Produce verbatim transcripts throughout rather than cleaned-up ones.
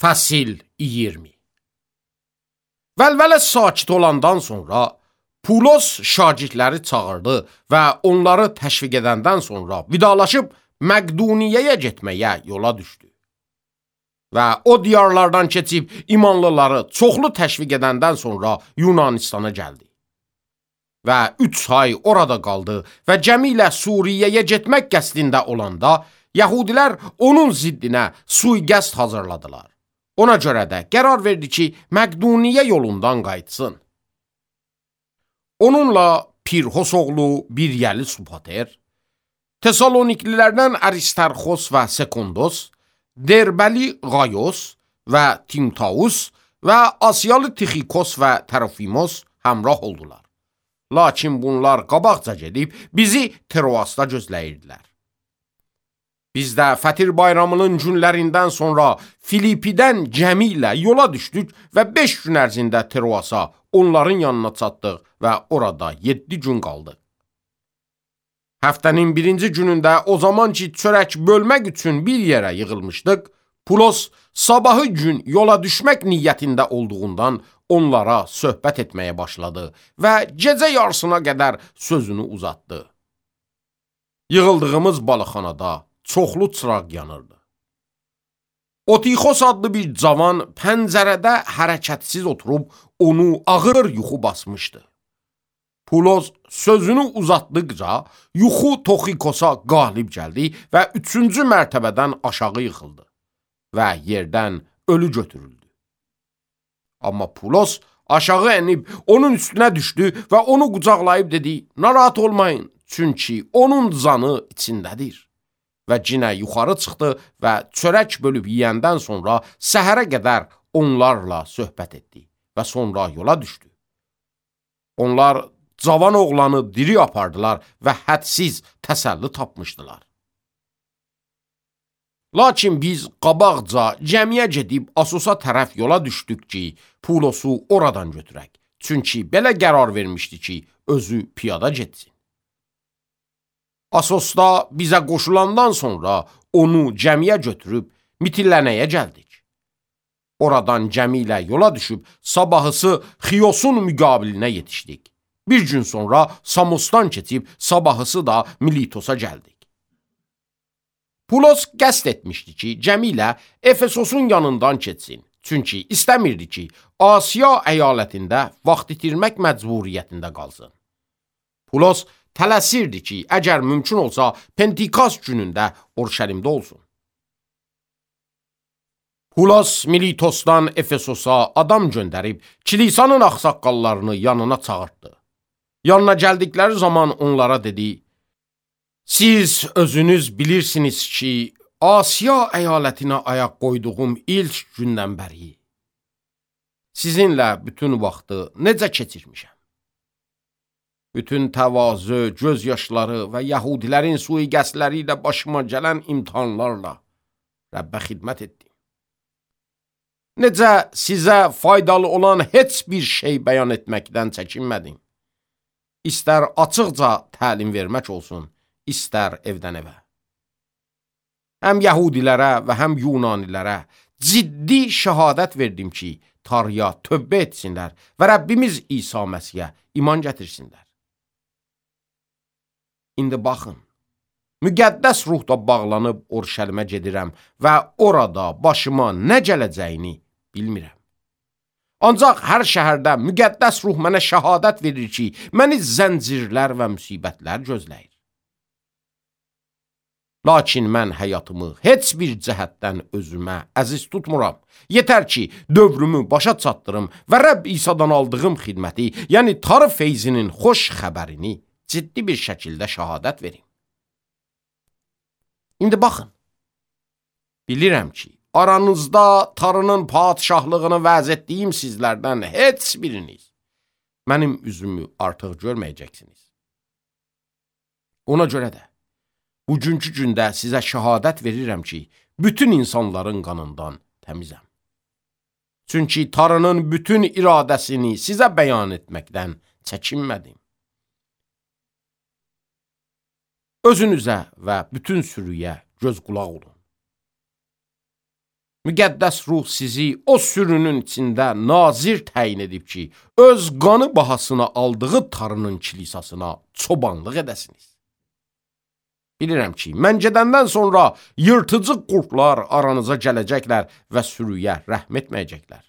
Fəsil iyirmi. Vəlvələ sakit olandan sonra Pulos şagirdləri çağırdı və onları təşviq edəndən sonra vidalaşıb Məqduniyyəyə getməyə yola düşdü. Və o diyarlardan keçib imanlıları çoxlu təşviq edəndən sonra Yunanistana gəldi. Və üç ay orada qaldı və cəmi ilə Suriyəyə getmək qəsdində olanda Yəhudilər onun ziddinə sui-qəsd hazırladılar. Ona görə də qərar verdi ki, Məqduniyə yolundan qayıtsın. Onunla Pirhos oğlu Biryəli Supater, Tesaloniklilərdən Aristarxos və Sekondos, Derbəli Qayos və Timtaus və Asiyalı Tixikos və Tərofimos həmrah oldular. Lakin bunlar qabaqca gedib bizi Troasda gözləyirdilər. Biz də Fətir bayramının günlərindən sonra Filipidən gəmi ilə yola düşdük və beş gün ərzində Troasa onların yanına çatdıq və orada yeddi gün qaldıq. Həftənin birinci günündə o zaman ki çörək bölmək üçün bir yerə yığılmışdıq, Pulos sabahı gün yola düşmək niyyətində olduğundan onlara söhbət etməyə başladı və gecə yarısına qədər sözünü uzatdı. Yığıldığımız balıqxanada çoxlu çıraq yanırdı. Otixos adlı bir cavan pəncərədə hərəkətsiz oturub onu ağır yuxu basmışdı. Pulos sözünü uzatdıqca yuxu Toxikosa qalib gəldi və üçüncü mərtəbədən aşağı yıxıldı və yerdən ölü götürüldü. Amma Pulos aşağı enib onun üstünə düşdü və onu qucaqlayıb dedi, narahat olmayın, çünki onun canı içindədir. Və cinə yuxarı çıxdı və çörək bölüb yiyəndən sonra səhərə qədər onlarla söhbət etdi və sonra yola düşdü. Onlar cavan oğlanı diri apardılar və hədsiz təsəlli tapmışdılar. Lakin biz qabaqca cəmiyə gedib Asosa tərəf yola düşdük ki, Pulosu oradan götürək. Çünki belə qərar vermişdi ki, özü piyada getsin. Asosda bizə qoşulandan sonra onu cəmiyə götürüb Mitillənəyə gəldik. Oradan cəmi ilə yola düşüb sabahısı Xiyosun müqabilinə yetişdik. Bir gün sonra Samosdan keçib sabahısı da Militosa gəldik. Pulos qəsd etmişdi ki, cəmi ilə Efesosun yanından keçsin. Çünki istəmirdi ki, Asiya əyalətində vaxt itirmək məcburiyyətində qalsın. Pulos tələsirdi ki, əgər mümkün olsa, Pentikast günündə Orşəlimdə olsun. Pulos Militosdan Efesosa adam göndərib, kilisanın ağsaqqallarını yanına çağırtdı. Yanına gəldikləri zaman onlara dedi, siz özünüz bilirsiniz ki, Asiya əyalətinə ayaq qoyduğum ilk gündən bəri sizinlə bütün vaxtı necə keçirmişəm? Bütün təvazö, göz yaşları və Yahudilərin sui-qəsdləri ilə başıma gələn imtihanlarla Rəbbə xidmət etdim. Necə sizə faydalı olan heç bir şey bəyan etməkdən çəkinmədim. İstər açıqca təlim vermək olsun, istər evdən evə. Həm Yahudilərə və həm Yunanilərə ciddi şəhadət verdim ki, Tanrıya tövbə etsinlər və Rəbbimiz İsa Məsihə iman gətirsinlər. İndi baxın, müqəddəs ruhda bağlanıb Orşəlimə gedirəm və orada başıma nə gələcəyini bilmirəm. Ancaq hər şəhərdə müqəddəs ruh mənə şəhadət verir ki, məni zəncirlər və müsibətlər gözləyir. Lakin mən həyatımı heç bir cəhətdən özümə əziz tutmuram. Yetər ki, dövrümü başa çatdırım və Rəbb İsa'dan aldığım xidməti, yəni Tanrı feyzinin xoş xəbərini ciddi bir şəkildə şəhadət verim. İndi baxın, bilirəm ki, aranızda Tanrının padişahlığını vəz etdiyim sizlərdən heç biriniz mənim üzümü artıq görməyəcəksiniz. Ona görə də, bugünkü gündə sizə şəhadət verirəm ki, bütün insanların qanından təmizəm. Çünki Tanrının bütün iradəsini sizə bəyan etməkdən çəkinmədim. Özünüzə və bütün sürüyə göz qulaq olun. Müqəddəs ruh sizi o sürünün içində nazir təyin edib ki, öz qanı bahasına aldığı tarının kilisasına çobanlıq edəsiniz. Bilirəm ki, mən gedəndən sonra yırtıcı qurtlar aranıza gələcəklər və sürüyə rəhm etməyəcəklər.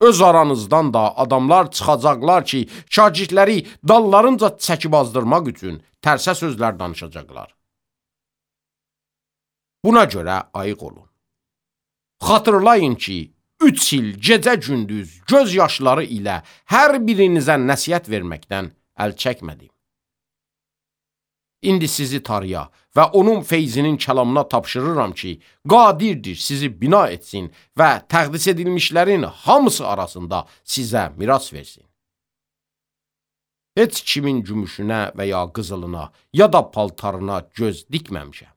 Öz aranızdan da adamlar çıxacaqlar ki, şagirdləri dallarınca çəkib azdırmaq üçün tərsə sözlər danışacaqlar. Buna görə ayıq olun. Xatırlayın ki, üç il gecə-gündüz göz yaşları ilə hər birinizə nəsihət verməkdən əl çəkmədim. İndi sizi tarıya və onun feyzinin kəlamına tapşırıram ki, qadirdir sizi bina etsin və təqdis edilmişlərin hamısı arasında sizə miras versin. Heç kimin gümüşünə və ya qızılına ya da paltarına göz dikməmişəm.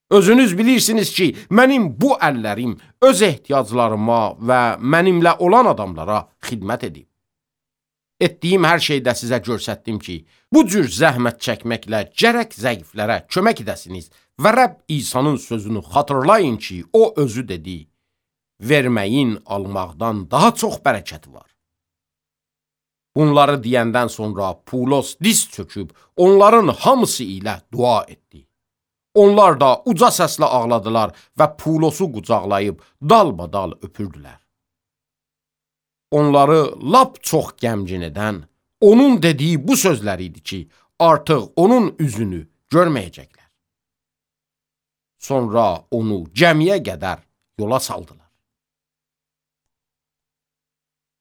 Özünüz bilirsiniz ki, mənim bu əllərim öz ehtiyaclarıma və mənimlə olan adamlara xidmət edib. Etdiyim hər şeydə sizə göstərdim ki, bu cür zəhmət çəkməklə gərək zəiflərə kömək edəsiniz və Rəbb İsa'nın sözünü xatırlayın ki, o özü dedi, verməyin almaqdan daha çox bərəkəti var. Bunları deyəndən sonra Pulos diz çöküb onların hamısı ilə dua etdi. Onlar da uca səslə ağladılar və Pulosu qucaqlayıb dalbadal öpürdülər. Onları lap çox qəmgin edən, onun dediyi bu sözlər idi ki, artıq onun üzünü görməyəcəklər. Sonra onu gəmiyə qədər yola saldılar.